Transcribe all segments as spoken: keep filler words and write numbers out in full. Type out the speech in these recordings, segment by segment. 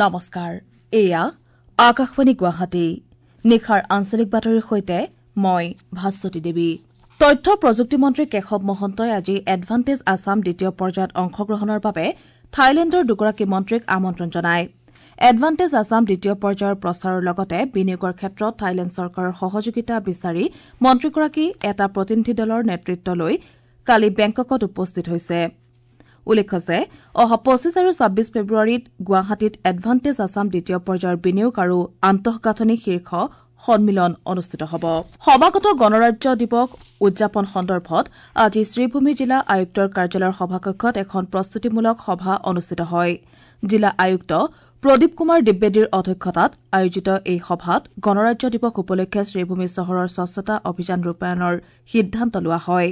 নমস্কাৰ, এয়া আকাশবাণী গুৱাহাটী। নিশাৰ আঞ্চলিক বাতৰিৰ সৈতে মই ভাস্বতী দেৱী। তথ্য প্ৰযুক্তি মন্ত্ৰী কেশৱ মহন্তই আজি এডভান্টেজ আছাম দ্বিতীয় পৰ্যায়ত অংশগ্ৰহণৰ বাবে থাইলেণ্ডৰ দুগৰাকী মন্ত্ৰীক আমন্ত্ৰণ জনায়। এডভান্টেজ আছাম দ্বিতীয় পৰ্যায়ৰ প্ৰচাৰৰ লগতে বিনিয়োগৰ ক্ষেত্ৰত থাইলেণ্ড চৰকাৰৰ সহযোগিতা বিচাৰি মন্ত্ৰীগৰাকী এটা প্ৰতিনিধি দলৰ নেতৃত্ব লৈ কালি বেংককত উপস্থিত হৈছে। উল্লেখ্য যে অহা পঁচিছ আৰু ছাব্বিছ ফেব্ৰুৱাৰীত গুৱাহাটীত এডভান্টেজ আছাম দ্বিতীয় পৰ্যায়ৰ বিনিয়োগ আৰু আন্তঃগাঁথনি শীৰ্ষ সন্মিলন অনুষ্ঠিত হ'ব। সমাগত গণৰাজ্য দিৱস উদযাপন সন্দৰ্ভত আজি শ্ৰীভূমি জিলা আয়ুক্তৰ কাৰ্যালয়ৰ সভাকক্ষত এখন প্ৰস্তুতিমূলক সভা অনুষ্ঠিত হয়। জিলা আয়ুক্ত প্ৰদীপ কুমাৰ দ্বিবেদীৰ অধ্যক্ষতাত আয়োজিত এই সভাত গণৰাজ্য দিৱস উপলক্ষে শ্ৰীভূমি চহৰৰ স্বচ্ছতা অভিযান ৰূপায়ণৰ সিদ্ধান্ত লোৱা হয়।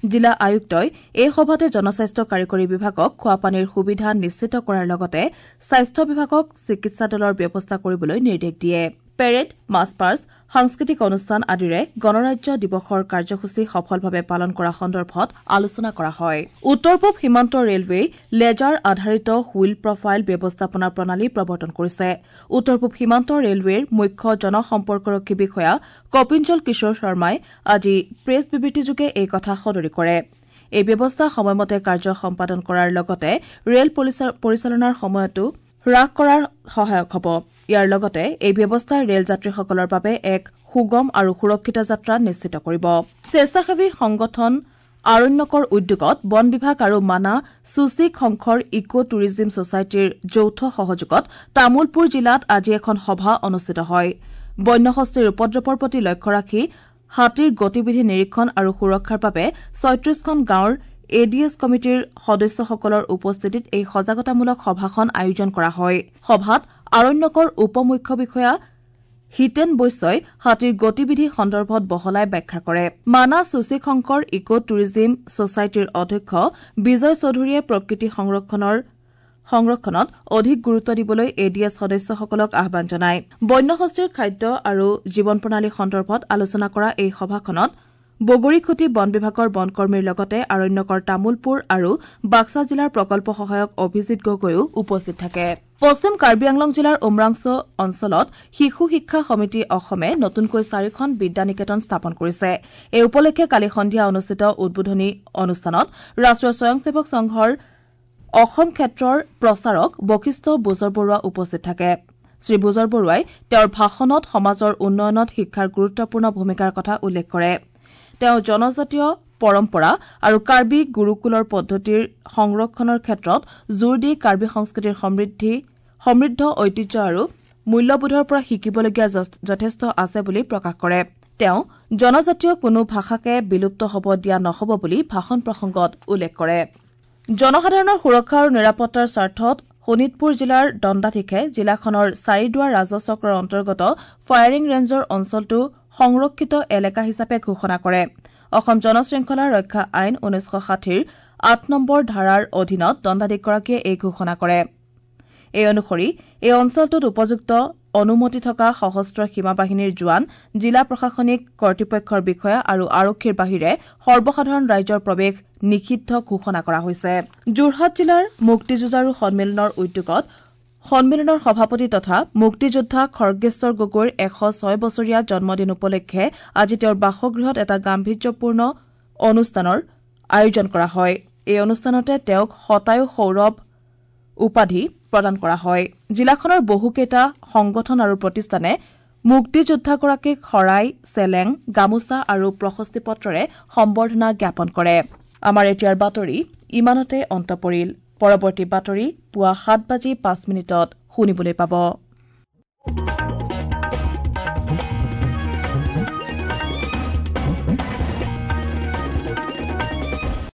জিলা আয়ুক্তই এই সভাতে জনস্বাস্থ্য কাৰিকৰী বিভাগক খোৱাপানীৰ সুবিধা নিশ্চিত কৰাৰ লগতে স্বাস্থ্য বিভাগক চিকিৎসা দলৰ ব্যৱস্থা কৰিবলৈ নিৰ্দেশ দিয়ে। পেৰেড, মাৰ্চ পাষ্ট, সাংস্কৃতিক অনুষ্ঠান আদিৰে গণৰাজ্য দিৱসৰ কাৰ্যসূচী সফলভাৱে পালন কৰা সন্দৰ্ভত আলোচনা কৰা হয়। উত্তৰ পূব সীমান্ত ৰেলৱেই লেজাৰ আধাৰিত হুইল প্ৰফাইল ব্যৱস্থাপনা প্ৰণালী প্ৰৱৰ্তন কৰিছে। উত্তৰ পূব সীমান্ত ৰেলৱেৰ মুখ্য জনসম্পৰ্কৰক্ষী বিষয়া কপিঞ্জল কিশোৰ শৰ্মাই আজি প্ৰেছ বিবৃতিযোগে এই কথা সদৰি কৰে। এই ব্যৱস্থা সময়মতে কাৰ্য সম্পাদন কৰাৰ লগতে ৰেল পৰিচালনাৰ সময়তো হ্ৰাস কৰাৰ সহায়ক হ'ব। ইয়াৰ লগতে এই ব্যৱস্থাই ৰেল যাত্ৰীসকলৰ বাবে এক সুগম আৰু সুৰক্ষিত যাত্ৰা নিশ্চিত কৰিব। স্বেচ্ছাসেৱী সংগঠন আৰণ্যকৰ উদ্যোগত বন বিভাগ আৰু মানা চুচি খংখৰ ইক' টুৰিজিম ছচাইটিৰ যৌথ সহযোগত তামুলপুৰ জিলাত আজি এখন সভা অনুষ্ঠিত হয়। বন্যহস্তীৰ উপদ্ৰৱৰ প্ৰতি লক্ষ্য ৰাখি হাতীৰ গতিবিধি নিৰীক্ষণ আৰু সুৰক্ষাৰ বাবে ছয়ত্ৰিশখন গাঁৱৰ এ ডি এছ কমিটিৰ সদস্যসকলৰ উপস্থিতিত এই সজাগতামূলক সভাখন আয়োজন কৰা হয়। সভাত আৰণ্যকৰ উপ মুখ্য বিষয়া হিতেন বৈশ্যই হাতীৰ গতিবিধি সন্দৰ্ভত বহলাই ব্যাখ্যা কৰে। মানা চুচিশংকৰ ইক' টুৰিজিম ছচাইটিৰ অধ্যক্ষ বিজয় চৌধুৰীয়ে প্ৰকৃতি সংৰক্ষণৰ সংৰক্ষণত অধিক গুৰুত্ব দিবলৈ এ ডি এছ সদস্যসকলক আহ্বান জনায়। বন্যহস্তীৰ খাদ্য আৰু জীৱন প্ৰণালী সন্দৰ্ভত আলোচনা কৰা এই সভাখনত বগৰীখুটি বন বিভাগৰ বনকৰ্মীৰ লগতে আৰণ্যকৰ তামুলপুৰ আৰু বাক্সা জিলাৰ প্ৰকল্প সহায়ক অভিজিৎ গগৈও উপস্থিত থাকে। পশ্চিম কাৰ্বি আংলং জিলাৰ উমৰাংছ অঞ্চলত শিশু শিক্ষা সমিতি অসমে নতুনকৈ চাৰিখন বিদ্যা নিকেতন স্থাপন কৰিছে। এই উপলক্ষে কালি সন্ধিয়া অনুষ্ঠিত উদ্বোধনী অনুষ্ঠানত ৰাষ্ট্ৰীয় স্বয়ংসেৱক সংঘৰ অসম ক্ষেত্ৰৰ প্ৰচাৰক বশিষ্ঠ বুজৰবৰুৱা উপস্থিত থাকে। শ্ৰী বুজৰবৰুৱাই তেওঁৰ ভাষণত সমাজৰ উন্নয়নত শিক্ষাৰ গুৰুত্বপূৰ্ণ ভূমিকাৰ কথা উল্লেখ কৰে। তেওঁ জনজাতীয় পৰম্পৰা আৰু কাৰ্বি গুৰুকুলৰ পদ্ধতিৰ সংৰক্ষণৰ ক্ষেত্ৰত জোৰ দি কাৰ্বি সংস্কৃতিৰ সমৃদ্ধি সমৃদ্ধ ঐতিহ্য আৰু মূল্যবোধৰ পৰা শিকিবলগীয়া যথেষ্ট আছে বুলি প্ৰকাশ কৰে। তেওঁ জনজাতীয় কোনো ভাষাকে বিলুপ্ত হ'ব দিয়া নহ'ব বুলি ভাষণ প্ৰসংগত উল্লেখ কৰে। জনসাধাৰণৰ সুৰক্ষা আৰু নিৰাপত্তাৰ স্বাৰ্থত শোণিতপুৰ জিলাৰ দণ্ডাধীশে জিলাখনৰ চাৰিদুৱাৰ ৰাজহ চক্ৰৰ অন্তৰ্গত ফায়াৰিং ৰেঞ্জৰ অঞ্চলটো সংৰক্ষিত এলেকা হিচাপে ঘোষণা কৰে। অসম জনশৃংখলা ৰক্ষা আইন ঊনৈছশ ষাঠিৰ আঠ নম্বৰ ধাৰাৰ অধীনত দণ্ডাধীশগৰাকীয়ে এই ঘোষণা কৰে। এই অনুসৰি এই অঞ্চলটোত উপযুক্ত অনুমতি থকা সশস্ত্ৰ সীমা বাহিনীৰ জোৱান, জিলা প্ৰশাসনিক কৰ্তৃপক্ষৰ বিষয়া আৰু আৰক্ষীৰ বাহিৰে সৰ্বসাধাৰণ ৰাইজৰ প্ৰৱেশ নিষিদ্ধ ঘোষণা কৰা হৈছে। যোৰহাট জিলাৰ মুক্তিযুঁজাৰু সন্মিলনৰ উদ্যোগত সন্মিলনৰ সভাপতি তথা মুক্তিযোদ্ধা খৰ্গেশ্বৰ গগৈৰ এশ ছয় বছৰীয়া জন্মদিন উপলক্ষে আজি তেওঁৰ বাসগৃহত এটা গাম্ভীৰ্যপূৰ্ণ অনুষ্ঠানৰ আয়োজন কৰা হয়। এই অনুষ্ঠানতে তেওঁক শতায়ু সৌৰভ উপাধি প্ৰদান কৰা হয়। জিলাখনৰ বহুকেইটা সংগঠন আৰু প্ৰতিষ্ঠানে মুক্তিযোদ্ধাগৰাকীক শৰাই, চেলেং, গামোচা আৰু প্ৰশস্তি পত্ৰৰে সম্বৰ্ধনা জ্ঞাপন কৰে। আমাৰ এতিয়াৰ বাতৰি ইমানতে অন্ত পৰিল। পৰৱৰ্তী বাতৰি পুৱা সাত বাজি পাঁচ মিনিটত শুনিবলৈ পাব।